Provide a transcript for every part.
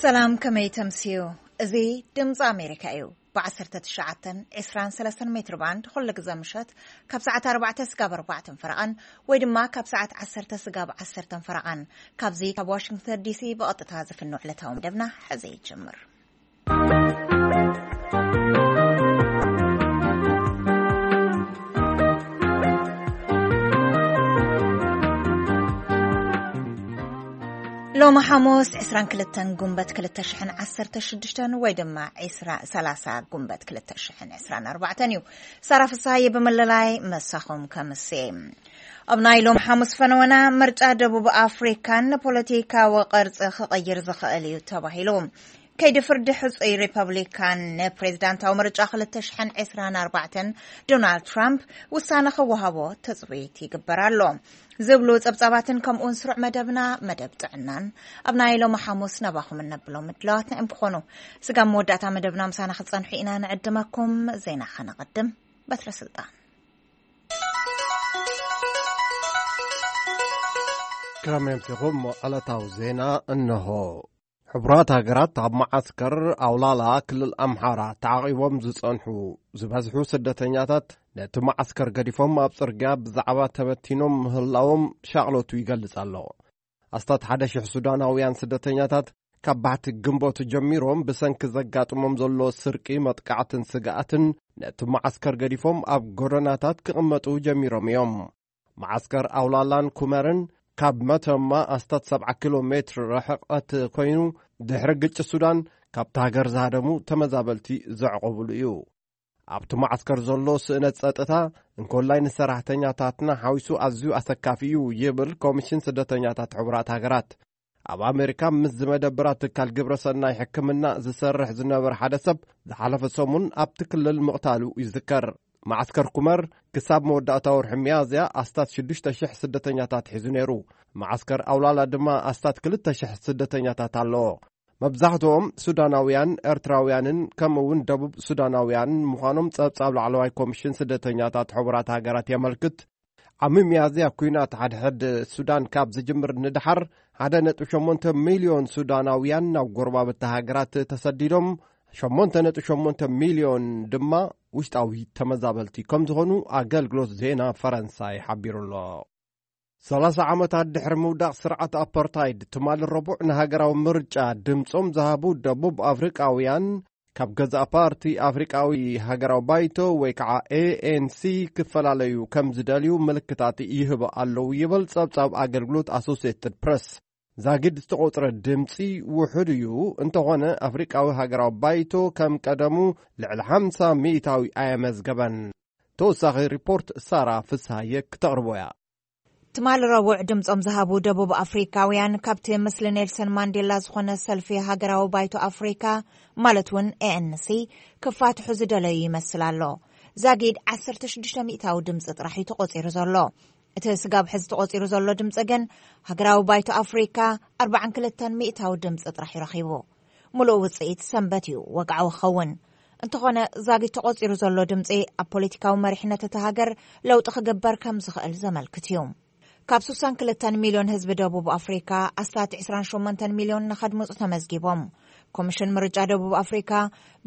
ሰላም፣ ከመይ ተምስዩ? እዚ ድምፂ ኣሜሪካ እዩ። ብ19፣ 20፣ 23 ሜትር ባንድ ኩሉ ግዘ ምሸት ካብ ሰዓት ኣርባዕተ ስጋብ ኣርባዕተን ፈረቓን፣ ወይ ድማ ካብ ሰዓት ዓሰርተ ስጋብ ዓሰርተን ፈረቓን፣ ካብዚ ካብ ዋሽንግተን ዲሲ ብቐጥታ ዝፍኖ ዕለታዊ መደብና ሕዚ ይጅምር። ሎሚ ሓሙስ 22 ጉንበት 2016 ወይ ድማ 2030 ጉንበት 2024 እዩ። ሳራ ፍሳሐየ ብምልላይ መሳኹም ከምሴ። ኣብ ናይ ሎም ሓሙስ ፈነወና፣ ምርጫ ደቡብ ኣፍሪካን ፖለቲካዊ ቅርፂ ክቕይር ዝኽእል እዩ ተባሂሉ። ከይዲ ፍርዲ ሕፁይ ሪፐብሊካን ንፕሬዚዳንታዊ ምርጫ 2024 ዶናልድ ትራምፕ ውሳነ ክወሃቦ ትፅቢት ይግበር ኣሎ ዝብሉ ፀብፃባትን ከምኡውን ስሩዕ መደብና፣ መደብ ጥዕናን ኣብ ናይ ሎሚ ሓሙስ ናባኹም እነብሎም ምድላዋትና እዮም ክኾኑ። ስጋብ መወዳእታ መደብና ምሳና ክትፀንሑ ኢና ንዕድመኩም። ዜና ከነቐድም። በትረ ስልጣን። ክረም የምሲኹም። ዕለታዊ ዜና እነሆ። ሕቡራት ሃገራት ኣብ መዓስከር ኣውላላ ክልል ኣምሓራ ተዓቒቦም ዝጸንሑ ዝበዝሑ ስደተኛታት ነቲ መዓስከር ገዲፎም ኣብ ጽርግያ ብዛዕባ ተበቲኖም ምህላዎም ሻቕሎቱ ይገልጽ ኣሎ። ኣስታት ሓደ ሽሕ ሱዳናውያን ስደተኛታት ካብ ባሕቲ ግንቦት ጀሚሮም ብሰንኪ ዘጋጥሞም ዘሎ ስርቂ፣ መጥቃዕትን ስግኣትን ነቲ መዓስከር ገዲፎም ኣብ ጎደናታት ክቕመጡ ጀሚሮም እዮም። መዓስከር ኣውላላን ኩመርን ካብ መተማ ኣስታት 70 ኪሎ ሜትር ርሕቐት ኮይኑ፣ ድሕሪ ግጭት ሱዳን ካብታ ሃገር ዝሃደሙ ተመዛበልቲ ዘዕቆብሉ እዩ። ኣብቲ መዓስከር ዘሎ ስእነት ጸጥታ እንኮላይ ንሰራሕተኛታትና ሓዊሱ ኣዝዩ ኣሰካፊ እዩ ይብል ኮሚሽን ስደተኛታት ሕቡራት ሃገራት። ኣብ ኣሜሪካ ምስ ዝመደብራት ትካል ግብረ ሰናይ ሕክምና ዝሰርሕ ዝነበረ ሓደ ሰብ ዝሓለፈ ሰሙን ኣብቲ ክልል ምቕታሉ ይዝከር። መዓስከር ኩመር ክሳብ መወዳእታ ወርሒ ሚያዝያ ኣስታት 6,000 ስደተኛታት ሒዙ ነይሩ። መዓስከር ኣውላላ ድማ ኣስታት 2,000 ስደተኛታት ኣለዎ። መብዛሕትኦም ሱዳናውያን፣ ኤርትራውያንን ከምኡ እውን ደቡብ ሱዳናውያን ምዃኖም ጸብጻብ ላዕለዋይ ኮሚሽን ስደተኛታት ሕቡራት ሃገራት የመልክት። ዓሚ ሚያዝያ ኲናት ሓድሕድ ሱዳን ካብ ዝጅምር ንድሓር 1.8 ሚልዮን ሱዳናውያን ናብ ጎረባብቲ ሃገራት ተሰዲዶም፣ 8.8 ሚልዮን ድማ ውሽጣዊ ተመዛበልቲ ከም ዝኾኑ ኣገልግሎት ዜና ፈረንሳይ ሓቢሩ ኣሎ። 30 ዓመታት ድሕሪ ምውዳቕ ስርዓት ኣፓርታይድ፣ ትማሊ ረቡዕ ንሃገራዊ ምርጫ ድምጾም ዝሃቡ ደቡብ ኣፍሪቃውያን፣ ካብ ገዛእ ፓርቲ ኣፍሪቃዊ ሃገራዊ ባይቶ ወይ ከዓ ኤ ኤን ሲ ክፈላለዩ ከም ዝደልዩ ምልክታት ይህቡ ኣለዉ ይብል ጸብጻብ ኣገልግሎት ኣሶሲየትድ ፕረስ። ዛጊድ ዝተቖጽረ ድምጺ ውሑድ እዩ። እንተኾነ ኣፍሪቃዊ ሃገራዊ ባይቶ ከም ቀደሙ ልዕሊ 50% ኣየመዝገበን። ተወሳኺ ሪፖርት ሳራ ፍስሃየ ክተቕርቦ እያ። ትማሊ ረቡዕ ድምጾም ዝሃቡ ደቡብ ኣፍሪካውያን ካብቲ ምስሊ ኔልሰን ማንዴላ ዝኾነ ሰልፊ ሃገራዊ ባይቶ ኣፍሪካ፣ ማለት እውን ኤ ኤን ሲ፣ ክፋትሑ ዝደለዩ ይመስል ኣሎ። ዛጊድ 16% ድምጺ ጥራሕ እዩ ተቖጺሩ ዘሎ። እቲ ስጋብ ሕዚ ተቖጺሩ ዘሎ ድምጺ ግን ሃገራዊ ባይቶ ኣፍሪካ 42% ድምጺ ጥራሕ እዩ ረኺቡ። ምሉእ ውጽኢት ሰንበት እዩ ወግዓዊ ክኸውን። እንተኾነ ዛጊድ ተቖጺሩ ዘሎ ድምጺ ኣብ ፖለቲካዊ መሪሕነት እታ ሃገር ለውጢ ክግበር ከም ዝኽእል ዘመልክት እዩ። ካብ 62 ሚልዮን ህዝቢ ደቡብ ኣፍሪካ ኣስታት 28 ሚልዮን ንኸድምፁ ተመዝጊቦም። ኮሚሽን ምርጫ ደቡብ ኣፍሪካ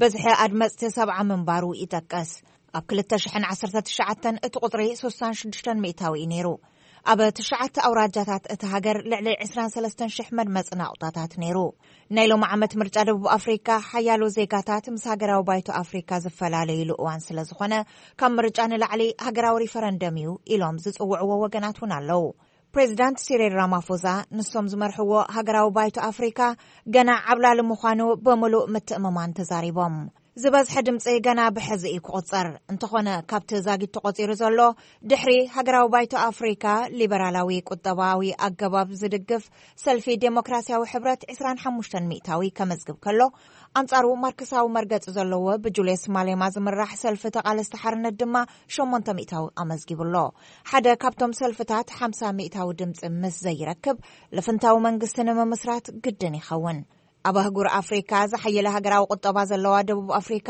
በዝሒ ኣድመፅቲ 70 ምንባሩ ይጠቀስ። ኣብ 2019 እቲ ቁፅሪ 66% እዩ ነይሩ። ኣብ ትሽዓተ ኣውራጃታት እቲ ሃገር ልዕሊ 23,000 መድመፂ ናቑጣታት ነይሩ። ናይ ሎሚ ዓመት ምርጫ ደቡብ ኣፍሪካ ሓያሎ ዜጋታት ምስ ሃገራዊ ባይቶ ኣፍሪካ ዝፈላለይሉ እዋን ስለ ዝኾነ፣ ካብ ምርጫ ንላዕሊ ሃገራዊ ሪፈረንደም እዩ ኢሎም ዝፅውዕዎ ወገናት እውን ኣለዉ። ፕሬዚዳንት ሲሪል ራማፎዛ ንሶም ዝመርሕዎ ሃገራዊ ባይቶ ኣፍሪካ ገና ዓብላሊ ምዃኑ ብምሉእ ምትእምማን ተዛሪቦም። ዝበዝሐ ድምፂ ገና ብሕዚ እዩ ክቑፀር። እንተኾነ፣ ካብቲ ዛጊድ ተቖፂሩ ዘሎ፣ ድሕሪ ሃገራዊ ባይቶ ኣፍሪካ ሊበራላዊ ቁጠባዊ ኣገባብ ዝድግፍ ሰልፊ ዴሞክራሲያዊ ሕብረት 25% ከመዝግብ ከሎ፣ ኣንጻሩ ማርክሳዊ መርገጺ ዘለዎ ብጁልየስ ማሌማ ዝምራሕ ሰልፊ ተቓለስቲ ሓርነት ድማ 8% ኣመዝጊቡ ኣሎ። ሓደ ካብቶም ሰልፍታት 50% ድምጺ ምስ ዘይረክብ፣ ልፍንታዊ መንግስቲ ንምምስራት ግድን ይኸውን። ኣብ ኣህጉር ኣፍሪካ ዝሓየለ ሃገራዊ ቁጠባ ዘለዋ ደቡብ ኣፍሪካ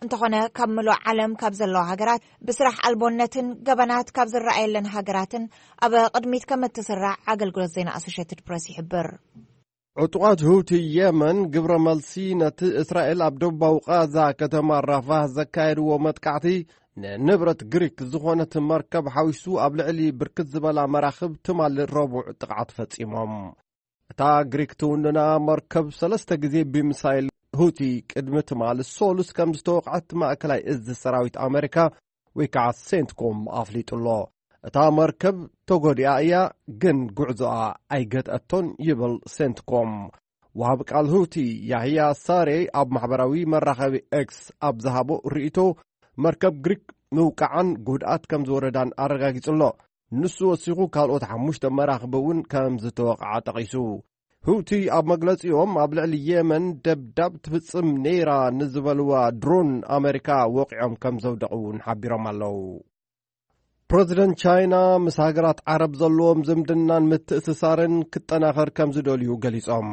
እንተኾነ፣ ካብ ምሉእ ዓለም ካብ ዘለዋ ሃገራት፣ ብስራሕ ኣልቦነትን ገበናት ካብ ዝረኣየለን ሃገራትን ኣብ ቅድሚት ከም እትስራዕ ኣገልግሎት ዜና ኣሶሼትድ ፕረስ ይሕብር። ዕጡቓት ሁቲ የመን ግብረ መልሲ ነቲ እስራኤል ኣብ ደቡባዊ ቃዛ ከተማ ራፋህ ዘካየድዎ መጥቃዕቲ፣ ንንብረት ግሪክ ዝኾነት መርከብ ሓዊሱ ኣብ ልዕሊ ብርክት ዝበላ መራኽብ ትማሊ ረቡዕ ጥቕዓት ፈጺሞም። እታ ግሪክ ትውንና መርከብ ሰለስተ ግዜ ብሚሳይል ሁቲ ቅድሚ ትማሊ ሶሉስ ከም ዝተወቕዐት ማእከላይ እዝ ሰራዊት ኣመሪካ ወይ ከዓ ሴንትኮም ኣፍሊጡ ኣሎ። እታ መርከብ ተጎዲኣ እያ፣ ግን ጉዕዞኣ ኣይገትአቶን ይብል ሴንትኮም። ወሃቢ ቃል ሁቲ ያህያ ሳሬ ኣብ ማሕበራዊ መራኸቢ ኤክስ ኣብ ዝሃቦ ርእይቶ፣ መርከብ ግሪክ ምውቃዓን ጉድኣት ከም ዝወረዳን ኣረጋጊጹ ኣሎ። ንሱ ወሲኹ ካልኦት ሓሙሽተ መራኽብ እውን ከም ዝተወቕዓ ጠቒሱ። ሁቲ ኣብ መግለጺኦም ኣብ ልዕሊ የመን ደብዳብ ትፍጽም ነይራ ንዝበልዋ ድሮን ኣመሪካ ወቒዖም ከም ዘውደቑ እውን ሓቢሮም ኣለዉ። ፕረዚደንት ቻይና ምስ ሃገራት ዓረብ ዘለዎም ዝምድናን ምትእስሳርን ክጠናኸር ከም ዝደልዩ ገሊጾም።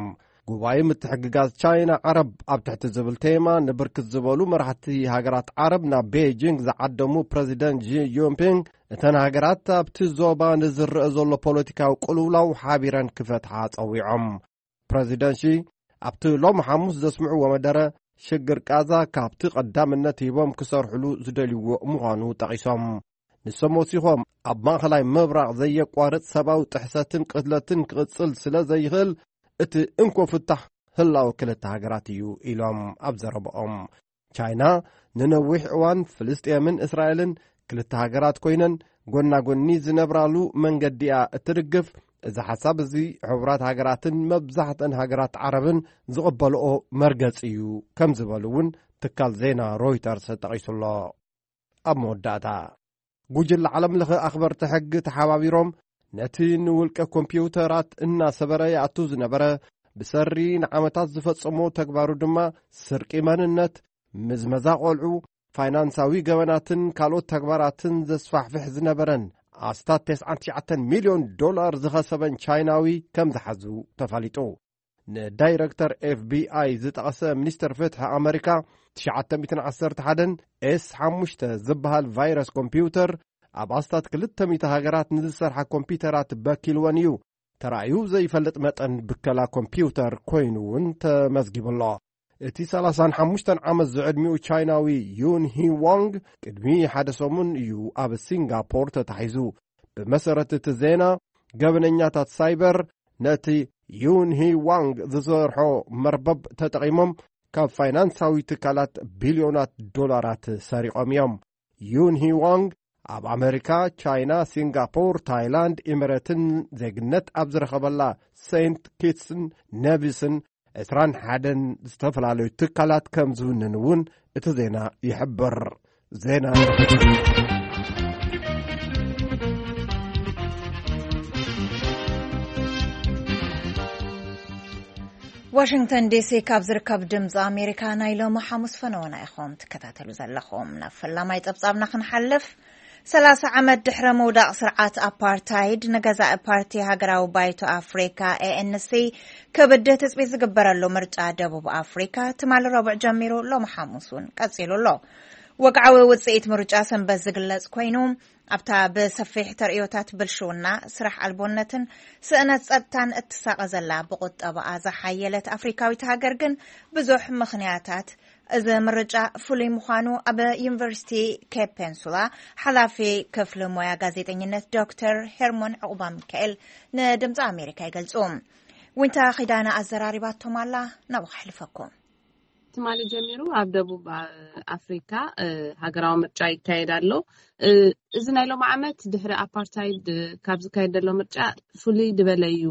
ጉባኤ ምትሕግጋዝ ቻይና ዓረብ ኣብ ትሕቲ ዝብል ቴማ ንብርክት ዝበሉ መራሕቲ ሃገራት ዓረብ ናብ ቤጂንግ ዝዓደሙ ፕረዚደንት ጂ ጂንፒንግ፣ እተን ሃገራት ኣብቲ ዞባ ንዝረአ ዘሎ ፖለቲካዊ ቅልውላው ሓቢረን ክፈትሓ ጸዊዖም። ፕረዚደንት ሺ ኣብቲ ሎም ሓሙስ ዘስምዕዎ መደረ፣ ሽግር ቃዛ ካብቲ ቀዳምነት ሂቦም ክሰርሕሉ ዝደልይዎ ምዃኑ ጠቒሶም። ንሶም ወሲኾም፣ ኣብ ማእኸላይ ምብራቕ ዘየቋርጽ ሰብኣዊ ጥሕሰትን ቅትለትን ክቕጽል ስለ ዘይኽእል፣ እቲ እንኮ ፍታሕ ህላወ ክልተ ሃገራት እዩ ኢሎም ኣብ ዘረብኦም። ቻይና ንነዊሕ እዋን ፍልስጤምን እስራኤልን ክልተ ሃገራት ኮይነን ጎና ጎኒ ዝነብራሉ መንገዲ እያ እትድግፍ። እዚ ሓሳብ እዚ ሕቡራት ሃገራትን መብዛሕተን ሃገራት ዓረብን ዝቕበልኦ መርገጺ እዩ ከም ዝበሉ እውን ትካል ዜና ሮይተርስ ጠቒሱ ኣሎ። ኣብ መወዳእታ፣ ጉጅለ ዓለም ለኸ ኣኽበርቲ ሕጊ ተሓባቢሮም ነቲ ንውልቀ ኮምፒውተራት እናሰበረ ይኣቱ ዝነበረ ብሰሪ ንዓመታት ዝፈጸሞ ተግባሩ ድማ ስርቂ መንነት፣ ምዝመዛ ቆልዑ፣ ፋይናንሳዊ ገበናትን ካልኦት ተግባራትን ዘስፋሕፍሕ ዝነበረን ኣስታት ተስዓን ትሽዓተን ሚልዮን ዶላር ዝኸሰበን ቻይናዊ ከም ዝሓዙ ተፋሊጡ። ንዳይረክተር ኤፍ ቢ ኣይ ዝጠቐሰ ሚኒስተር ፍትሒ ኣመሪካ፣ ትሽዓተ ሚእትን ዓሰርተ ሓደን ኤስ ሓሙሽተ ዝበሃል ቫይረስ ኮምፒውተር ኣብ ኣስታት ክልተ ሚእቲ ሃገራት ንዝሰርሓ ኮምፒውተራት በኪልወን እዩ። ተራእዩ ዘይፈልጥ መጠን ብከላ ኮምፒውተር ኮይኑ እውን ተመዝጊቡ ኣሎ። እቲ ሰላሳን ሓሙሽተን ዓመት ዝዕድሚኡ ቻይናዊ ዩን ሂ ዋንግ ቅድሚ ሓደ ሰሙን እዩ ኣብ ሲንጋፖር ተታሒዙ። ብመሰረት እቲ ዜና፣ ገበነኛታት ሳይበር ነቲ ዩን ሂ ዋንግ ዝሰርሖ መርበብ ተጠቒሞም ካብ ፋይናንሳዊ ትካላት ቢልዮናት ዶላራት ሰሪቖም እዮም። ዩን ሂ ዋንግ ኣብ ኣመሪካ፣ ቻይና፣ ሲንጋፖር፣ ታይላንድ፣ ኢሚሬትን ዜግነት ኣብ ዝረኸበላ ሴንት ኪትስን ነቪስን ዕስራን ሓደን ዝተፈላለዩ ትካላት ከም ዝውንን እውን እቲ ዜና ይሕብር። ዜና ዋሽንግተን ዲሲ ካብ ዝርከብ ድምፂ ኣሜሪካ ናይ ሎሚ ሓሙስ ፈነወና ኢኹም ትከታተሉ ዘለኹም። ናብ ፈላማይ ፀብፃብና ክንሓልፍ፣ ሰላሳ ዓመት ድሕሪ ምውዳቕ ስርዓት ኣፓርታይድ፣ ንገዛኢ ፓርቲ ሃገራዊ ባይቶ ኣፍሪካ ኤ ኤን ሲ ክብድህ ትፅቢት ዝግበረሉ ምርጫ ደቡብ ኣፍሪካ ትማሊ ረቡዕ ጀሚሩ ሎሚ ሓሙስ እውን ቀፂሉ ኣሎ። ወግዓዊ ውፅኢት ምርጫ ሰንበት ዝግለፅ ኮይኑ፣ ኣብታ ብሰፊሕ ተርእዮታት ብልሽውና፣ ስራሕ ኣልቦነትን ስእነት ጸጥታን እትሳቐ ዘላ ብቁጠባኣ ዝሓየለት ኣፍሪካዊት ሃገር ግን ብዙሕ ምኽንያታት እዚ ምርጫ ፍሉይ ምዃኑ ኣብ ዩኒቨርሲቲ ኬፕ ፔንሱላ ሓላፊ ክፍሊ ሞያ ጋዜጠኝነት ዶክተር ሄርሞን ዕቑባ ሚካኤል ንድምፂ ኣሜሪካ ይገልጹ። ዊንታ ኺዳነ ኣዘራሪባቶም ኣላ፣ ናብኡ ከሕልፈኩም። ትማሊ ጀሚሩ ኣብ ደቡብ ኣፍሪካ ሃገራዊ ምርጫ ይካየድ ኣሎ። እዚ ናይ ሎም ዓመት ድሕሪ ኣፓርታይድ ካብ ዝካየድ ዘሎ ምርጫ ፍሉይ ዝበለ እዩ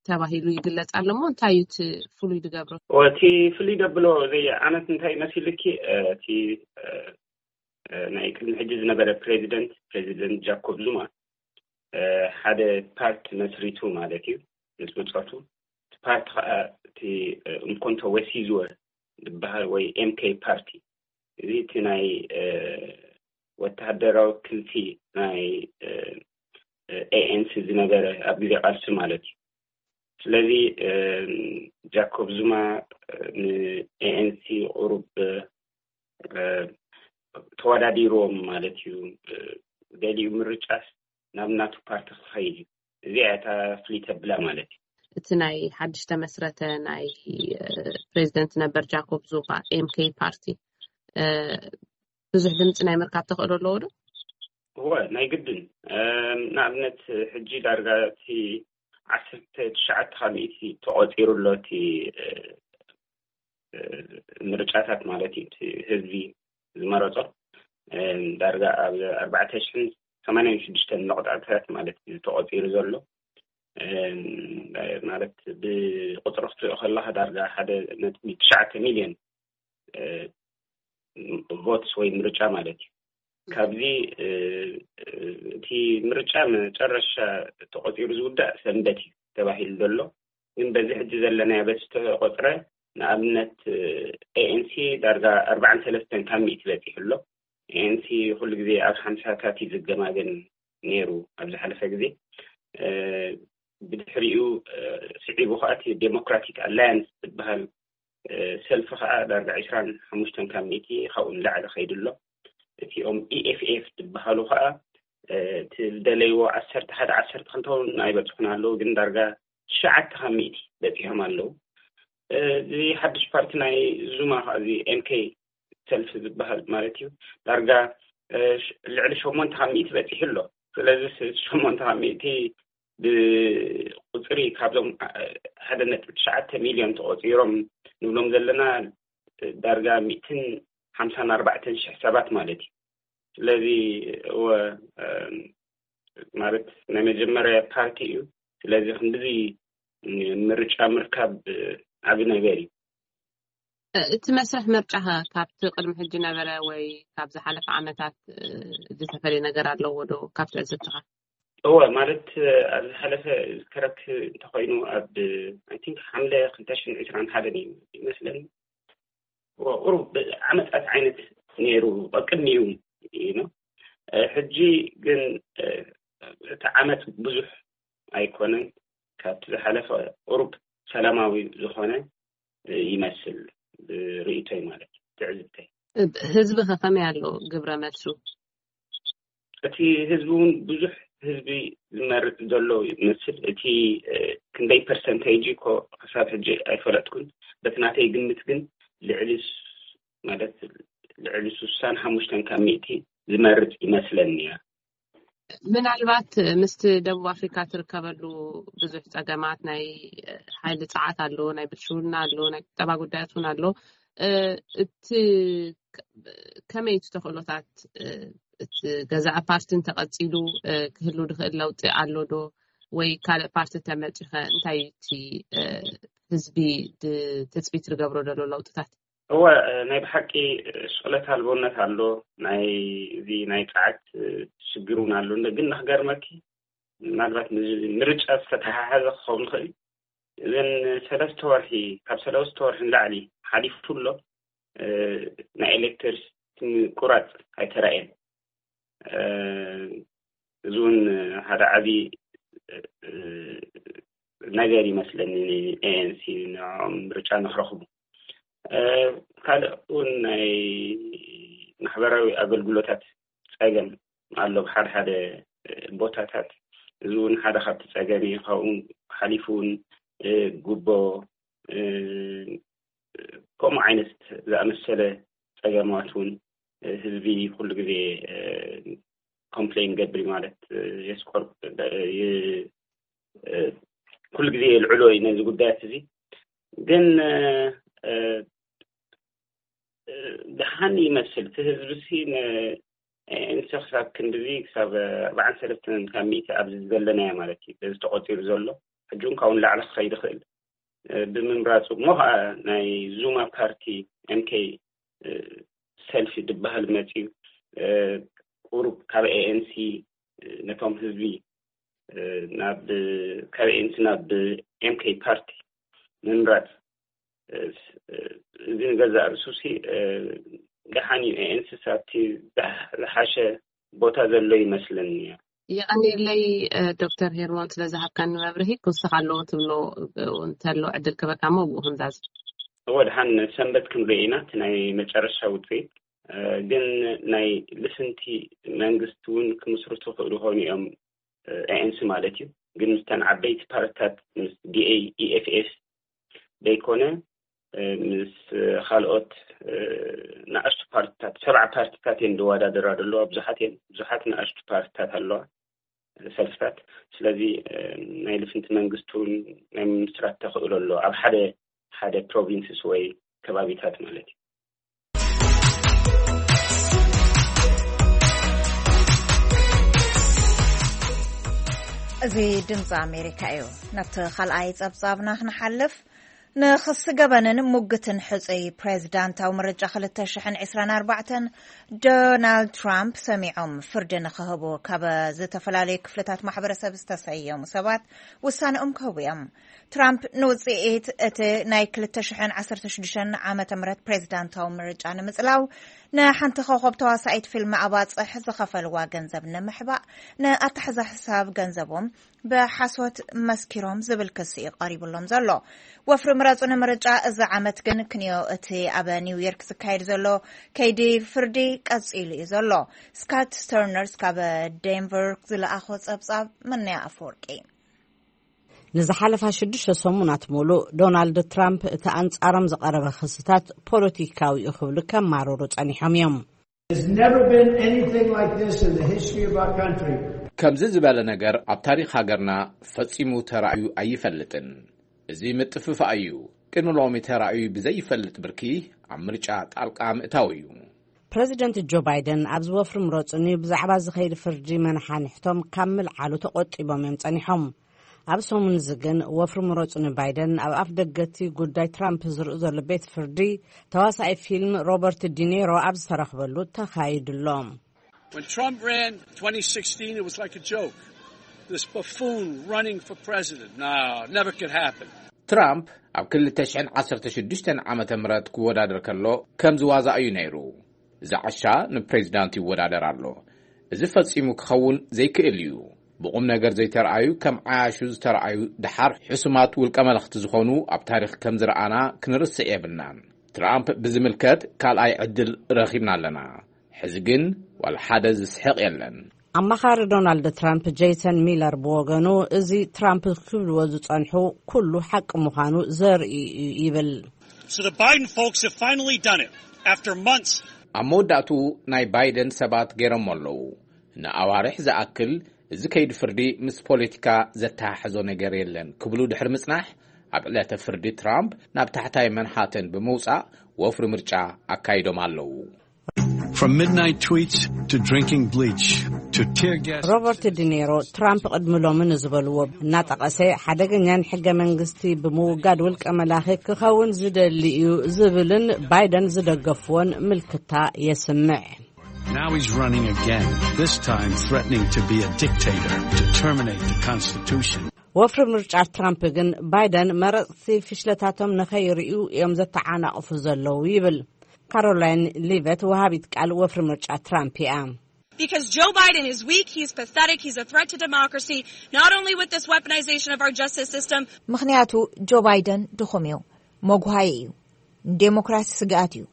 ተባሂሉ ይግለፅ ኣሎ። እሞ እንታይ እዩ እቲ ፍሉይ ዝገብሮ? እቲ ፍሉይ ደብሎ እዚ ዓመት እንታይ መሲልኪ? እቲ ናይ ቅድሚ ሕጂ ዝነበረ ፕሬዚደንት ፕሬዚደንት ጃኮብ ዙማ ሓደ ፓርት መስሪቱ ማለት እዩ። ምስ ብፆቱ እቲ ፓርቲ ከዓ እቲ እንኮንቶ ወሲዝወ ዝበሃል ወይ ኤምኬ ፓርቲ፣ እዚ እቲ ናይ ወተሃደራዊ ክንፊ ናይ ኤኤንሲ ዝነበረ ኣብ ግዜ ቃልሲ ማለት እዩ። ስለዚ ጃኮብ ዙማ ንኤኤንሲ ቁሩብ ተወዳዲርዎም ማለት እዩ። ገሊኡ ምርጫስ ናብ ናቱ ፓርቲ ክኸይድ እዩ። እዚኣ እታ ፍልይ ተብላ ማለት እዩ። እቲ ናይ ሓድሽ ተመስረተ ናይ ፕሬዚደንት ነበር ጃኮብ ዙማ ኤምኬ ፓርቲ ብዙሕ ድምፂ ናይ ምርካብ ተኽእሎ ኣለዎ ዶ? እወ፣ ናይ ግድን። ንኣብነት ሕጂ ዳርጋ እቲ ዓሰርተ ትሽዓተ ካብ ሚእቲ ተቖፂሩ ኣሎ እቲ ምርጫታት ማለት እዩ። ህዝቢ ዝመረፆ ዳርጋ ኣብ ኣርባዕተ ሽሕን ሰማንያን ሽዱሽተን መቕፃዕትታት ማለት እዩ ተቖፂሩ ዘሎ። ማለት ብቁፅሪ ክትሪኦ ከለካ ዳርጋ ሓደ ነጥቢ ትሽዓተ ሚልዮን ቮትስ ወይ ምርጫ ማለት እዩ። ካብዚ እቲ ምርጫ መጨረሻ ተቆፂሩ ዝውዳእ ሰንበት እዩ ተባሂሉ ዘሎ። ግን በዚ ሕጂ ዘለናዮ በቲ ዝተቆፅረ ንኣብነት ኤኤንሲ ዳርጋ ኣርባዓን ሰለስተን ካብ ሚእቲ በፂሑ ኣሎ። ኤኤንሲ ኩሉ ግዜ ኣብ ሓምሳታት እዩ ዝገማገን ነይሩ ኣብ ዝሓለፈ ግዜ። ብድሕሪኡ ስዒቡ ከዓ እቲ ዴሞክራቲክ ኣላያንስ ዝበሃል ሰልፊ ከዓ ዳርጋ ዕስራን ሓሙሽተን ካብ ሚእቲ ካብኡ ንላዕሊ ከይዱ ኣሎ። እቲኦም ኢኤፍኤፍ ዝበሃሉ ከዓ እቲ ዝደለይዎ ዓሰርተ ሓደ ዓሰርተ ክልተ እውን ኣይበፅሑን ኣለዉ፣ ግን ዳርጋ ትሽዓተ ካብ ሚእቲ በፂሖም ኣለዉ። እዚ ሓድሽ ፓርቲ ናይ ዙማ ከዓ እዚ ኤምኬ ሰልፊ ዝበሃል ማለት እዩ ዳርጋ ልዕሊ ሸሞንተ ካብ ሚእቲ በፂሑ ኣሎ። ስለዚ ሸሞንተ ካብ ሚእቲ ብቁፅሪ ካብዞም ሓደ ነጥቢ ትሽዓተ ሚልዮን ተቆፂሮም ንብሎም ዘለና ዳርጋ ሚእትን ሓምሳን ኣርባዕተን ሽሕ ሰባት ማለት እዩ። ስለዚ እወ ማለት ናይ መጀመርያ ፓርቲ እዩ። ስለዚ ክንድዚ ምርጫ ምርካብ ዓቢ ነገር እዩ። እቲ መስርሕ ምርጫ ከ ካብቲ ቅድሚ ሕጂ ነበረ ወይ ካብ ዝሓለፈ ዓመታት ዝተፈለየ ነገር ኣለዎ ዶ ካብ ትዕዝብትኻ? እወ፣ ማለት ኣብ ዝሓለፈ ዝከረክ እንተኮይኑ ኣብ ኣይ ቲንክ ሓምለ ክልተ ሽሕን ዕስራን ሓደን እዩ ይመስለኒ። ቁሩብ ዓመፃት ዓይነት ነይሩ ቅድሚኡ ነው። ሕጂ ግን እቲ ዓመፅ ብዙሕ ኣይኮነን። ካብቲ ዝሓለፈ ቁሩብ ሰላማዊ ዝኾነ ይመስል ርእይቶይ ማለት ትዕዝብተይ። ህዝቢ ከ ከመይ ኣሎ ግብረ መልሱ? እቲ ህዝቢ እውን ብዙሕ ህዝቢ ዝመርፅ ዘሎ ይመስል። እቲ ክንደይ ፐርሰንቴጅ እኮ ክሳብ ሕጂ ኣይፈለጥኩን። በቲ ናተይ ግምት ግን ልዕሊ ማለት ልዕሊ ስሳን ሓሙሽተን ካብ ሚእቲ ዝመርፅ ይመስለኒ እያ። ምናልባት ምስቲ ደቡብ ኣፍሪካ ትርከበሉ ብዙሕ ፀገማት ናይ ሓይሊ ፀዓት ኣሎ፣ ናይ ብልሽውና ኣሎ፣ ናይ ቁጠባ ጉዳያት እውን ኣሎ። እቲ ከመይ እቲ ተኽእሎታት እቲ ገዛኢ ፓርቲ እንተቐፂሉ ክህሉ ዝኽእል ለውጢ ኣሎ ዶ ወይ ካልእ ፓርቲ ተመፂኸ እንታይ እቲ ህዝቢ ትፅቢት ዝገብሮ ዘሎ ለውጥታት? እወ፣ ናይ ብሓቂ ስቕለት ኣልቦነት ኣሎ። ናይ እዚ ናይ ፀዓት ሽግር እውን ኣሎ። ግን ንክገርመኪ ምናልባት ምርጫ ዝተተሓሓዘ ክኸውን ይኽእል። እዘን ሰለስተ ወርሒ ካብ ሰለስተ ወርሒ ንላዕሊ ሓሊፉ ኣሎ። ናይ ኤሌክትሪሲቲ ምቁራፅ ኣይተራእየን። እዚ እውን ሓደ ዓብዪ ነገር ይመስለኒ። ኤኤንሲ ንዕኦም ምርጫ ንክረኽቡ ካልእ እውን ናይ ማሕበራዊ ኣገልግሎታት ፀገም ኣሎ ብሓደ ሓደ ቦታታት። እዚ እውን ሓደ ካብቲ ፀገም እዩ። ካብኡ ሓሊፉ እውን ጉቦ ከምኡ ዓይነት ዝኣመሰለ ፀገማት እውን ህዝቢ ኩሉ ግዜ ኮምፕሌን ገብሪ ማለት የስቆር ኩሉ ግዜ የልዕሎ እዩ ነዚ ጉዳያት እዚ። ግን ደሓን ይመስል እቲ ህዝቢ ሲ ንኤንሲ ክሳብ ክንድዚ ክሳብ ኣርባዓን ሰለስተን ካብ ሚእቲ ኣብዚ ዘለናዮ ማለት እዩ በዚ ተቆፂሩ ዘሎ ሕጂ እውን ካብኡ ንላዕሊ ክኸይድ ይኽእል ብምምራፁ እሞ ከዓ ናይ ዙማ ፓርቲ ኤምኬ ሰልፊ ዝበሃል መፅዩ ቁሩብ ካብ ኤኤንሲ ነቶም ህዝቢ ናብ ካብ ኤኤንሲ ናብ ኤምኬ ፓርቲ ምምራፅ እዚ ንገዛእ ርእሱ ሲ ደሓን እዩ። ኤኤንሲ ኣብቲ ዝሓሸ ቦታ ዘሎ ይመስለኒ። የቐንየለይ ዶክተር ሄርሞን ስለ ዝሃብካኒ መብርሂ። ክውስኽ ኣለዎ ትብሎ እንተሎ ዕድል ክበካ እሞ ብኡ ክንዛዝ። እወ፣ ደሓን ሰንበት ክንርኢ ኢና እቲ ናይ መጨረሻ ውፅኢት። ግን ናይ ልፍንቲ መንግስቲ እውን ክምስርቱ ክእሉ ይኾኑ እዮም ኤኤንሲ ማለት እዩ። ግን ምስተን ዓበይቲ ፓርትታት፣ ምስ D A E F S ዘይኮነ፣ እ፣ ምስ ካልኦት፣ እ፣ ንኣሽቱ ፓርትታት፣ ሰብዓ ፓርትታት እየን ዝወዳደራ ዘለዋ። ብዙሓት እየን፣ ብዙሓት ንኣሽቱ ፓርትታት ኣለዋ፣ ሰልፍታት። ስለዚ፣ እ፣ ናይ ልፍንቲ መንግስቲ እውን ናይ ምምስራት ተኽእሎ ኣሎ፣ ኣብ ሓደ ሓደ ፕሮቪንስስ ወይ ከባቢታት ማለት እዩ። እዚ ድምፂ ኣሜሪካ እዩ። ናብቲ ካልኣይ ጸብጻብና ክንሓልፍ፣ ንኽሲ ገበንን ሙግትን ሕጹይ ፕሬዚዳንታዊ ምርጫ ክልተ ሽሕን ዕስራን ኣርባዕተን ዶናልድ ትራምፕ ሰሚዖም ፍርዲ ንኽህቡ ካብ ዝተፈላለዩ ክፍልታት ማሕበረሰብ ዝተሰየሙ ሰባት ውሳነኦም ክህቡ እዮም። ትራምፕ ንውጽኢት እቲ ናይ ክልተ ሽሕን ዓሰርተ ሽዱሽተን ዓመተ ምህረት ፕሬዚዳንታዊ ምርጫ ንምጽላው ንሓንቲ ኮኸብ ተዋሳኢት ፊልም ኣባጽሕ ዝኸፈልዋ ገንዘብ ንምሕባእ ንኣተሓዛ ሕሳብ ገንዘቦም ብሓሶት መስኪሮም ዝብል ክሲ እዩ ቀሪቡሎም ዘሎ። ወፍሪ ምረጹ ንምርጫ እዚ ዓመት ግን ክንዮ እቲ ኣብ ኒውዮርክ ዝካየድ ዘሎ ከይዲ ፍርዲ ቀጺሉ እዩ ዘሎ። ስካት ስተርነርስ ካብ ዴንቨር ዝለኣኾ ጸብጻብ። መነያ ኣፈወርቂ። ንዝሓለፋ ሽዱሽተ ሰሙናት ሙሉእ ዶናልድ ትራምፕ እቲ ኣንጻሮም ዝቐረበ ክስታት ፖለቲካዊ እዩ ክብሉ ከማርሩ ጸኒሖም እዮም። There's never been anything like this in the history of our country. ከምዚ ዝበለ ነገር ኣብ ታሪኽ ሃገርና ፈጺሙ ተራእዩ ኣይፈልጥን። እዚ ምጥፍፋእ እዩ። ቅድሚ ሎሚ ተራእዩ ብዘይፈልጥ ብርኪ ኣብ ምርጫ ጣልቃ ምእታው እዩ። ፕረዚደንት ጆ ባይደን ኣብዚ ወፍሪ ምረጹኒ ብዛዕባ ዝኸይድ ፍርዲ መናሓንሕቶም ካብ ምልዓሉ ተቖጢቦም እዮም ጸኒሖም። ኣብ ሰሙን እዚ ግን ወፍሪ ምረጹኒ ባይደን ኣብ ኣፍ ደገቲ ጉዳይ ትራምፕ ዝርኢ ዘሎ ቤት ፍርዲ ተዋሳኢ ፊልም ሮበርት ዲኔሮ ኣብ ዝተረኽበሉ ተኻይዱ ኣሎ። When Trump ran twenty sixteen, it was like a joke. This buffoon running for president. No, it never could happen. ትራምፕ ኣብ ክልተ ሽሕን ዓሰርተ ሽዱሽተን ዓመተ ምህረት ክወዳደር ከሎ ከም ዝዋዛ እዩ ነይሩ። እዚ ዓሻ ንፕሬዚዳንት ይወዳደር ኣሎ። እዚ ፈጺሙ ክኸውን ዘይክእል እዩ። ብቑም ነገር ዘይተረኣዩ ከም ዓያሹ ዝተረኣዩ ደሓር ሕሱማት ውልቀ መለኽቲ ዝኾኑ ኣብ ታሪኽ ከም ዝረኣና ክንርስዕ የብልናን። ትራምፕ ብዝምልከት ካልኣይ ዕድል ረኺብና ኣለና። ሕዚ ግን ዋላ ሓደ ዝስሕቕ የለን። ኣማኻሪ ዶናልድ ትራምፕ ጄይሰን ሚለር ብወገኑ እዚ ትራምፕ ክብልዎ ዝጸንሑ ኩሉ ሓቂ ምዃኑ ዘርኢ እዩ ይብል። So the Biden folks have finally done it after months. ኣብ መወዳእቱ ናይ ባይደን ሰባት ገይሮሞ ኣለዉ። ንኣዋርሕ ዝኣክል እዚ ከይዲ ፍርዲ ምስ ፖለቲካ ዘተሓሕዞ ነገር የለን ክብሉ ድሕሪ ምጽናሕ ኣብ ዕለተ ፍርዲ ትራምፕ ናብ ታሕታይ መንሃተን ብምውጻእ ወፍሪ ምርጫ ኣካይዶም ኣለዉ። From midnight tweets to drinking bleach to tear gas. ሮበርት ዲኔሮ ትራምፕ ቅድሚ ሎሚ ንዝበልዎ እናጠቐሰ ሓደገኛን ሕገ መንግስቲ ብምውጋድ ውልቀ መላኺ ክኸውን ዝደሊ እዩ ዝብልን ባይደን ዝደገፍዎን ምልክታ የስምዕ። Now he's running again, this time threatening to be a dictator, to terminate the Constitution. ወፍሪ ምርጫ ትራምፕ ግን ባይደን መረፅቲ ፍሽለታቶም ንኸይርእዩ እዮም ዘተዓናቕፉ ዘለዉ ይብል። ካሮላይን ሊቨት ወሃቢት ቃል ወፍሪ ምርጫ ትራምፕ እያ። Because Joe Biden is weak, he's pathetic, he's a threat to democracy, not only with this weaponization of our justice system. ምኽንያቱ ጆ ባይደን ድኹም እዩ፣ መጉሃይ እዩ፣ ንዴሞክራሲ ስግኣት እዩ።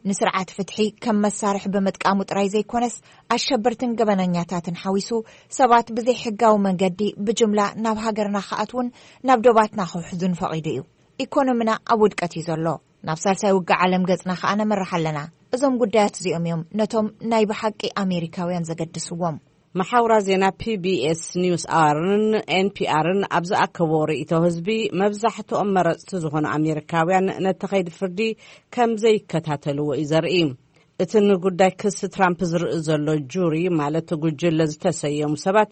ንስርዓት ፍትሒ ከም መሳርሒ ብምጥቃሙ ጥራይ ዘይኮነስ ኣሸበርትን ገበነኛታትን ሓዊሱ ሰባት ብዘይሕጋዊ መንገዲ ብጅምላ ናብ ሃገርና ክኣትዉን ናብ ዶባትና ክውሕዙን ፈቒዱ እዩ። ኢኮኖሚና ኣብ ውድቀት እዩ ዘሎ። ናብ ሳልሳይ ውግእ ዓለም ገጽና ከኣ ነምርሕ ኣለና። እዞም ጉዳያት እዚኦም እዮም ነቶም ናይ ብሓቂ ኣሜሪካውያን ዘገድስዎም። መሓውራ ዜና ፒ ቢ ኤስ ኒውስ ኣዋርን ኤን ፒ ኣርን ኣብ ዝኣከብዎ ርእይቶ ህዝቢ መብዛሕትኦም መረጽቲ ዝኾኑ ኣሜሪካውያን ነቲ ከይዲ ፍርዲ ከም ዘይከታተልዎ እዩ ዘርኢ። እቲ ንጉዳይ ክሲ ትራምፕ ዝርኢ ዘሎ ጁሪ ማለት ጉጅለ ዝተሰየሙ ሰባት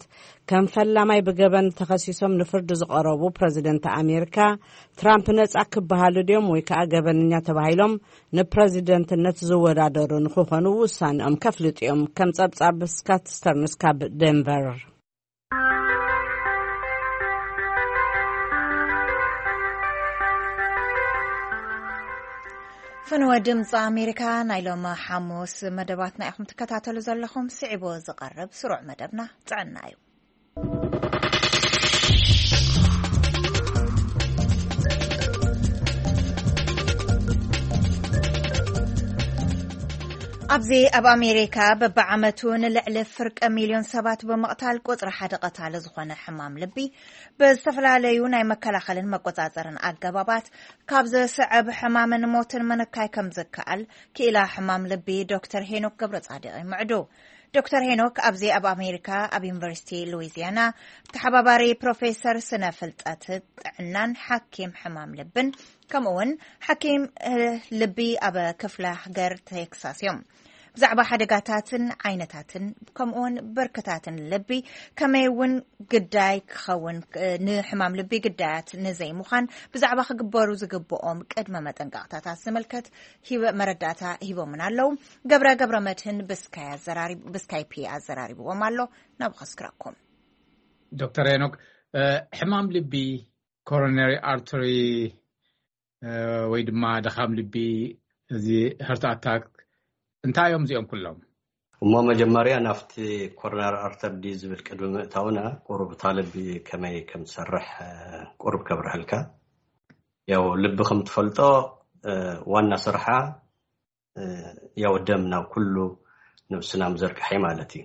ከም ፈላማይ ብገበን ተኸሲሶም ንፍርዲ ዝቐረቡ ፕረዚደንት ኣሜሪካ ትራምፕ ነጻ ክበሃሉ ድዮም ወይ ከኣ ገበነኛ ተባሂሎም ንፕረዚደንትነት ዝወዳደሩ ንክኾኑ ውሳንኦም ከፍልጡ እዮም። ከም ጸብጻብ ስካት ስተርንስ ካብ ደንቨር። ፈነወ ድምፂ ኣሜሪካ ናይ ሎም ሓሙስ መደባትና ኢኹም ትከታተሉ ዘለኹም። ስዒቡ ዝቐርብ ስሩዕ መደብና ጥዕና እዩ። ኣብዚ ኣብ ኣሜሪካ በብዓመቱ ንልዕሊ ፍርቂ ሚልዮን ሰባት ብምቕታል ቁጽሪ ሓደ ቀታሊ ዝኾነ ሕማም ልቢ ብዝተፈላለዩ ናይ መከላኸልን መቆጻጸርን ኣገባባት ካብ ዘስዕብ ሕማምን ሞትን ምንካይ ከም ዝከኣል ክኢላ ሕማም ልቢ ዶክተር ሄኖክ ገብረ ጻድቕ ይምዕዱ። ዶክተር ሄኖክ ኣብዚ ኣብ ኣሜሪካ ኣብ ዩኒቨርሲቲ ሉዊዚያና ተሓባባሪ ፕሮፌሰር ስነ ፍልጠት ጥዕናን ሓኪም ሕማም ልብን ከምኡ እውን ሓኪም ልቢ ኣብ ክፍለ ሃገር ቴክሳስ እዮም። ብዛዕባ ሓደጋታትን ዓይነታትን ከምኡውን ብርክታትን ልቢ ከመይ እውን ግዳይ ክኸውን ንሕማም ልቢ ግዳያት ንዘይምዃን ብዛዕባ ክግበሩ ዝግብኦም ቅድመ መጠንቀቕታታት ዝምልከት መረዳእታ ሂቦምን ኣለዉ። ገብረ ገብረ መድህን ብስካይፒ ኣዘራሪብዎም ኣሎ። ናብ ኸስክረኩም ዶክተር ሄኖክ፣ ሕማም ልቢ፣ ኮሮነሪ ኣርተሪ ወይ ድማ ድኻም ልቢ፣ እዚ ሀርት ኣታክ እንታይ እዮም እዚኦም ኩሎም? እሞ መጀመርያ ናብቲ ኮሮናሪ ኣርተር ዲ ዝብል ቅድሚ ምእታውና ቁሩብ እታ ልቢ ከመይ ከም ትሰርሕ ቁሩብ ከብርሀልካ። ያው ልቢ ከም ትፈልጦ ዋና ስርሓ ያው ደም ናብ ኩሉ ነብስና ምዘርግሐ ማለት እዩ።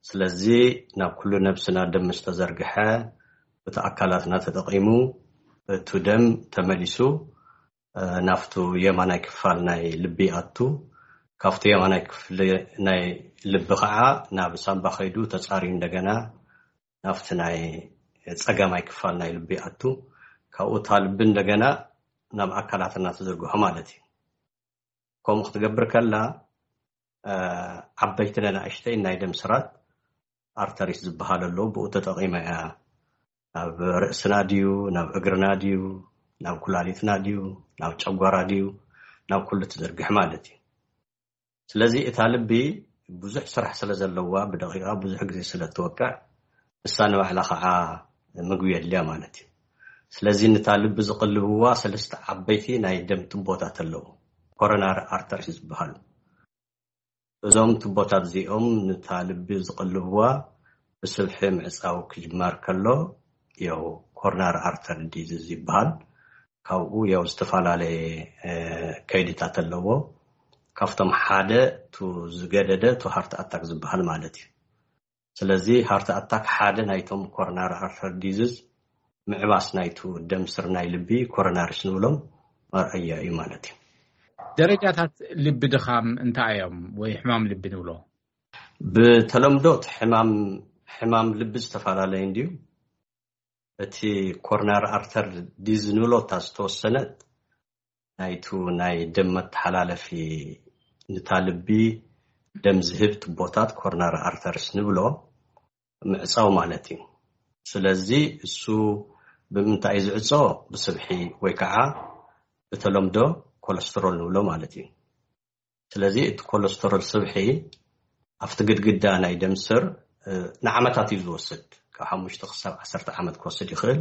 ስለዚ ናብ ኩሉ ነብስና ደም ምስ ተዘርግሐ እቲ ኣካላትና ተጠቒሙ እቱ ደም ተመሊሱ ናፍቱ የማናይ ክፋል ናይ ልቢ ኣቱ፣ ካብቲ የማናይ ክፍሊ ናይ ልቢ ከዓ ናብ ሳምባ ከይዱ ተፃርዩ እንደገና ናፍቲ ናይ ፀጋማይ ክፋል ናይ ልቢ ኣቱ፣ ካብኡ እታ ልቢ እንደገና ናብ ኣካላትና ትዝርግሖ ማለት እዩ። ከምኡ ክትገብር ከላ ዓበይትን ኣናእሽተይን ናይ ደም ስራት ኣርተሪስ ዝበሃል ኣሎ። ብኡ ተጠቒማ እያ ናብ ርእስና ድዩ ናብ እግርና ድዩ ናብ ኩላሊትና ድዩ ናብ ጨጓራ ድዩ ናብ ኩሉ ትዝርግሕ ማለት እዩ። ስለዚ እታ ልቢ ብዙሕ ስራሕ ስለ ዘለዋ ብደቂቓ ብዙሕ ግዜ ስለ እትወቅዕ ንሳ ንባዕላ ከዓ ምግቢ የድልያ ማለት እዩ። ስለዚ ነታ ልቢ ዝቕልብዋ ሰለስተ ዓበይቲ ናይ ደም ቱቦታት ኣለዉ፣ ኮሮናሪ ኣርተሪስ ዝበሃሉ። እዞም ቱቦታት እዚኦም ነታ ልቢ ዝቕልብዋ ብስብሒ ምዕፃው ክጅመር ከሎ ያው ኮሮናሪ ኣርተሪ ዲዚዝ ይበሃል። ካብኡ ያው ዝተፈላለየ ከይድታት ኣለዎ። ካብቶም ሓደ ቱ ዝገደደ ቱ ሃርት ኣታክ ዝበሃል ማለት እዩ። ስለዚ ሃርት ኣታክ ሓደ ናይቶም ኮሮናሪ ኣርተሪ ዲዚዝ ምዕባስ ናይቱ ደም ስር ናይ ልቢ ኮሮናሪስ ንብሎም መርኣያ እዩ ማለት እዩ። ደረጃታት ልቢ ድኻም እንታይ እዮም ወይ ሕማም ልቢ ንብሎ? ብተለምዶ ሕማም ልቢ ዝተፈላለየ እንድዩ። እቲ ኮሮናሪ ኣርተር ዲዝ ንብሎ እታ ዝተወሰነት ናይቱ ናይ ደም መተሓላለፊ ንታ ልቢ ደም ዝህብ ቱቦታት ኮሮናሪ ኣርተርስ ንብሎ ምዕፃው ማለት እዩ። ስለዚ እሱ ብምንታይ እዩ ዝዕፆ? ብስብሒ ወይ ከዓ ብተለምዶ ኮለስትሮል ንብሎ ማለት እዩ። ስለዚ እቲ ኮለስትሮል ስብሒ ኣብቲ ግድግዳ ናይ ደም ስር ንዓመታት እዩ ዝወስድ። ካብ ሓሙሽተ ክሳብ ዓሰርተ ዓመት ክወስድ ይኽእል።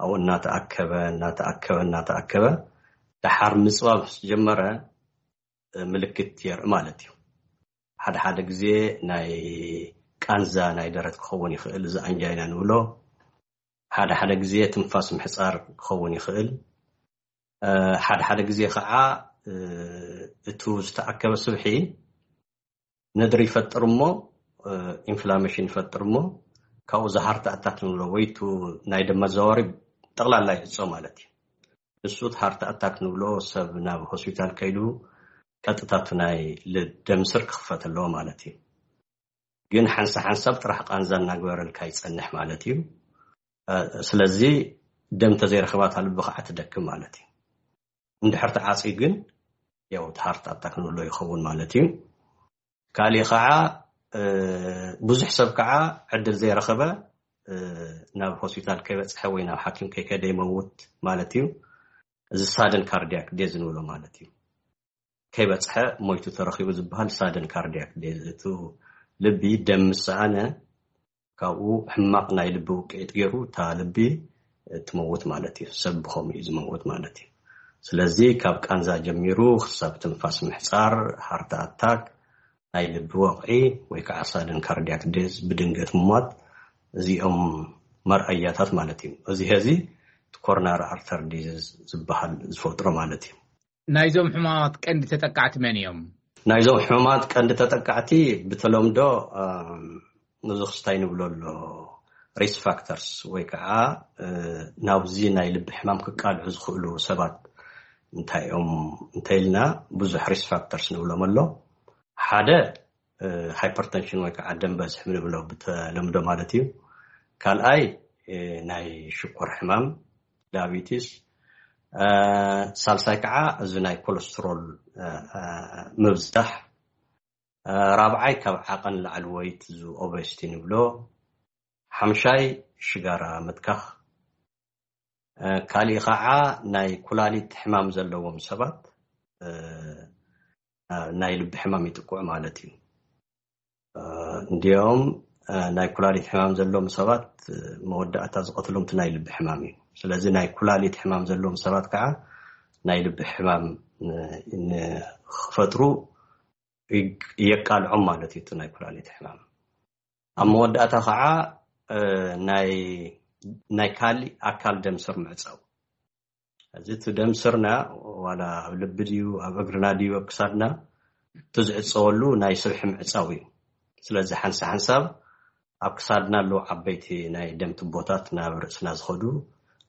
ኣብኡ እናተኣከበ እናተኣከበ እናተኣከበ ደሓር ምፅባብ ምስ ጀመረ ምልክት የርኢ ማለት እዩ። ሓደ ሓደ ግዜ ናይ ቃንዛ ናይ ደረት ክኸውን ይኽእል፣ እዚ ኣንጃይና ንብሎ። ሓደ ሓደ ግዜ ትንፋስ ምሕፃር ክኸውን ይኽእል። ሓደ ሓደ ግዜ ከዓ እቱ ዝተኣከበ ስብሒ ነድሪ ይፈጥር እሞ ኢንፍላሜሽን ይፈጥር እሞ ካብኡ ዝሃርት ኣታክ ንብሎ ወይ ቱ ናይ ደም መዘዋወሪ ጠቕላላ ይዕፆ ማለት እዩ። ንሱ እቲ ሃርት ኣታክ ንብሎ ሰብ ናብ ሆስፒታል ከይዱ ቀጥታቱ ናይ ደም ስር ክኽፈት ኣለዎ ማለት እዩ። ግን ሓንሳ ሓንሳብ ጥራሕ ቃንዛ እናግበረልካ ይፀንሕ ማለት እዩ። ስለዚ ደም ተዘይረኽባ እታ ልቢ ከዓ ትደክም ማለት እዩ። እንድሕር ተዓፅዩ ግን ያው እቲ ሃርት ኣታክ ንብሎ ይኸውን ማለት እዩ። ካሊእ ከዓ ብዙሕ ሰብ ከዓ ዕድል ዘይረኸበ ናብ ሆስፒታል ከይበፅሐ ወይ ናብ ሓኪም ከይከደ ይመውት ማለት እዩ። እዚ ሳደን ካርዲያክ ዴዝ ንብሎ ማለት እዩ። ከይበፅሐ ሞይቱ ተረኺቡ ዝበሃል ሳደን ካርዲያክ ዴዝ፣ እቱ ልቢ ደም ምስ ሰኣነ ካብኡ ሕማቕ ናይ ልቢ ውቅዒት ገይሩ እታ ልቢ ትመውት ማለት እዩ። ሰብ ብኸምኡ እዩ ዝመውት ማለት እዩ። ስለዚ ካብ ቃንዛ ጀሚሩ ክሳብ ትንፋስ ምሕፃር፣ ሃርት ኣታክ፣ ናይ ልቢ ወቕዒ ወይ ከዓ ሳደን ካርዲያክ ዴዝ፣ ብድንገት ምሟት፣ እዚኦም መርኣያታት ማለት እዩ። እዚ ሀዚ ኮሮናሪ ኣርተር ዲዚዝ ዝበሃል ዝፈጥሮ ማለት እዩ። ናይዞም ሕማማት ቀንዲ ተጠቃዕቲ መን እዮም? ናይዞም ሕማማት ቀንዲ ተጠቃዕቲ ብተለምዶ ብዙ ክስታይ ንብሎ ኣሎ፣ ሪስክ ፋክተርስ ወይ ከዓ ናብዚ ናይ ልቢ ሕማም ክቃልዑ ዝኽእሉ ሰባት እንታይ እዮም እንተኢልና፣ ብዙሕ ሪስክ ፋክተርስ ንብሎም ኣሎ። ሓደ ሃይፐርተንሽን ወይ ከዓ ደም በዝሒ ንብሎ ብተለምዶ ማለት እዩ። ካልኣይ ናይ ሽኮር ሕማም፣ ዳያቢቲስ፣ ሳልሳይ ከዓ እዚ ናይ ኮለስትሮል ምብዛሕ፣ ራብዓይ ካብ ዓቐን ላዕሊ ወይት፣ እዚ ኦቤሲቲ ንብሎ፣ ሓምሻይ ሽጋራ ምትካኽ፣ ካሊእ ከዓ ናይ ኩላሊት ሕማም ዘለዎም ሰባት ናይ ልቢ ሕማም ይጥቅዑ ማለት እዩ። እንዲኦም ናይ ኩላሊት ሕማም ዘለዎም ሰባት መወዳእታ ዝቐትሎም እቲ ናይ ልቢ ሕማም እዩ። ስለዚ ናይ ኩላሊት ሕማም ዘለዎም ሰባት ከዓ ናይ ልቢ ሕማም ንክፈጥሩ የቃልዖም ማለት እዩ። እቲ ናይ ኩላሊት ሕማም ኣብ መወዳእታ ከዓ ናይ ካሊእ ኣካል ደም ስር ምዕፃው። እዚ እቲ ደም ስርና ዋላ ኣብ ልቢ ድዩ ኣብ እግርና ድዩ ኣብ ክሳድና እቲ ዝዕፀወሉ ናይ ስብሒ ምዕፃው እዩ። ስለዚ ሓንሳ ሓንሳብ ኣብ ክሳድና ኣለዉ ዓበይቲ ናይ ደም ትቦታት ናብ ርእስና ዝኸዱ፣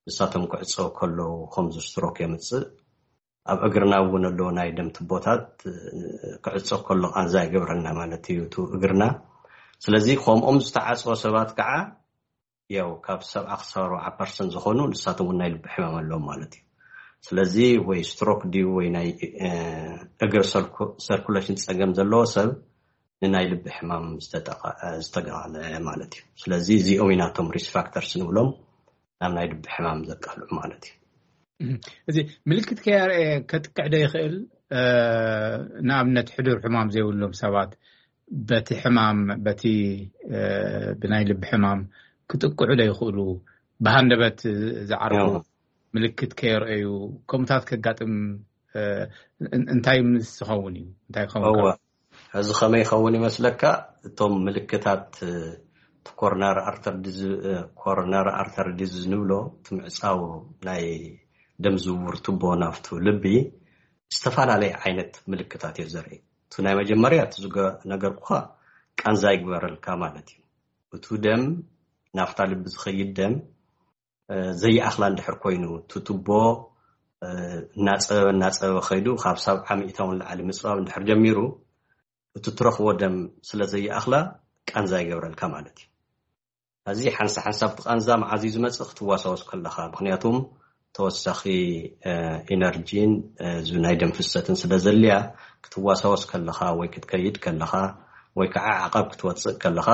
ንሳቶም ክዕፀው ከለዉ ከምዚ ስትሮክ የምፅእ። ኣብ እግርና እውን ኣለዉ ናይ ደም ትቦታት ክዕፀው ከሎ ቃንዛ ይገብረልና ማለት እዩ እቲ እግርና። ስለዚ ከምኦም ዝተዓፀወ ሰባት ከዓ ያው ካብ ሰብዓ ክሳብ ኣርባዓ ፐርሰንት ዝኾኑ ንሳቶም እውን ናይ ልቢ ሕማም ኣለዎም ማለት እዩ። ስለዚ ወይ ስትሮክ ድዩ ወይ ናይ እግር ሰርኩሌሽን ፀገም ዘለዎ ሰብ ንናይ ልቢ ሕማም ዝተጋለ ማለት እዩ። ስለዚ እዚኦም ኢናቶም ሪስክ ፋክተርስ ንብሎም ናብ ናይ ልቢ ሕማም ዘቃልዑ ማለት እዩ። እዚ ምልክት ከያርኤ ከጥቅዕ ዶ ይኽእል? ንኣብነት ሕዱር ሕማም ዘይብሎም ሰባት በቲ ሕማም በቲ ብናይ ልቢ ሕማም ክጥቅዑ ዶ ይኽእሉ? ብሃንደበት ዝዓርፉ ምልክት ከየርአዩ ከምታት ከጋጥም እንታይ ምስ ዝኸውን እዩ? እንታይ ክኸውን? እዚ ከመይ ይኸውን ይመስለካ? እቶም ምልክታት ኮሮናሪ ኣርተር ዲዝ ንብሎ እቲ ምዕፃው ናይ ደም ዝውውር ቱቦ ናብቱ ልቢ ዝተፈላለየ ዓይነት ምልክታት እዩ ዘርኢ። እቲ ናይ መጀመርያ እቲ ነገርኩኻ ቃንዛ ይግበረልካ ማለት እዩ። እቱ ደም ናብታ ልቢ ዝኸይድ ደም ዘይኣኽላ እንድሕር ኮይኑ እቲ ቱቦ እናፀበበ እናፀበበ ከይዱ ካብ ሰብዓ ሚእታውን ላዕሊ ምፅባብ እንድሕር ጀሚሩ እቲ ትረኽቦ ደም ስለ ዘይኣኽላ ቃንዛ ይገብረልካ ማለት እዩ። እዚ ሓንሳ ሓንሳብ እቲ ቃንዛ መዓዝ እዩ ዝመፅእ? ክትዋሳወስ ከለኻ። ምክንያቱም ተወሳኺ ኢነርጂን እዚ ናይ ደም ፍሰትን ስለ ዘልያ ክትዋሳወስ ከለኻ ወይ ክትከይድ ከለኻ ወይ ከዓ ዓቐብ ክትወፅእ ከለኻ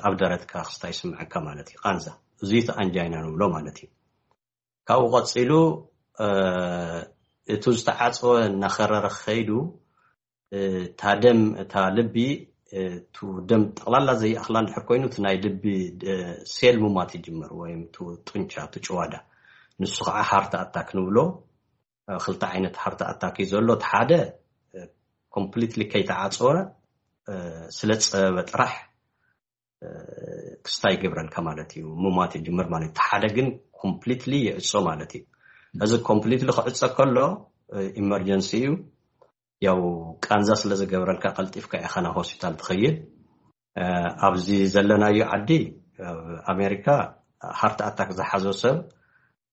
ኣብ ደረትካ ክስታይ ይስምዐካ ማለት እዩ። ቃንዛ እዚ እቲ ኣንጃይና ንብሎ ማለት እዩ። ካብኡ ቀፂሉ እቲ ዝተዓፀወ እናኸረረ ከይዱ እታ ደም እታ ልቢ እቱ ደም ጠቕላላ ዘይኣኽላ እንድሕር ኮይኑ እቲ ናይ ልቢ ሴል ሙማት ይጅምር ወይም ጡንቻ እቲ ጭዋዳ ንሱ ከዓ ሃርት ኣታክ ንብሎ። ክልተ ዓይነት ሃርት ኣታክ እዩ ዘሎ። እቲ ሓደ ኮምፕሊትሊ ከይተዓፀወ ስለ ፀበበ ጥራሕ ክስታይ ይገብረልካ ማለት እዩ። ሙማት ይጅምር ማለት እቲ ሓደ ግን ኮምፕሊትሊ ይዕፆ ማለት እዩ። እዚ ኮምፕሊትሊ ክዕፀ ከሎ ኢመርጀንሲ እዩ። ያው ቃንዛ ስለ ዝገብረልካ ቀልጢፍካ ኢኻ ናብ ሆስፒታል ትኸይድ። ኣብዚ ዘለናዮ ዓዲ ኣብ ኣሜሪካ ሃርት ኣታክ ዝሓዞ ሰብ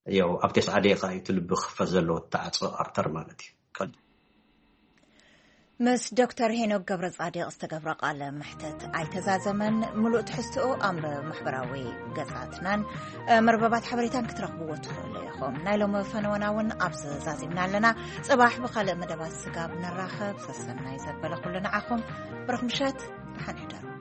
ያው ኣብ ተስዓ ደቂቃ እዩ እቲ ልቢ ክኽፈት ዘለዎ ተዓፅኦ ኣርተር ማለት እዩ። ምስ ዶክተር ሄኖክ ገብረ ጻዲቕ ዝተገብረ ቃለ መሕተት ኣይተዛዘመን። ምሉእ ትሕዝትኡ ኣብ ማሕበራዊ ገጻትናን መርበባት ሓበሬታን ክትረኽብዎ ትኽእሉ ኢኹም። ናይ ሎሚ ፈነወና እውን ኣብዚ ዛዚምና ኣለና። ጽባሕ ብኻልእ መደባት ስጋብ ንራኸብ ሰሰናይ ዘበለ ኩሉ ንዓኹም። ብሩኽ ምሸት፣ ደሓን ሕደሩ።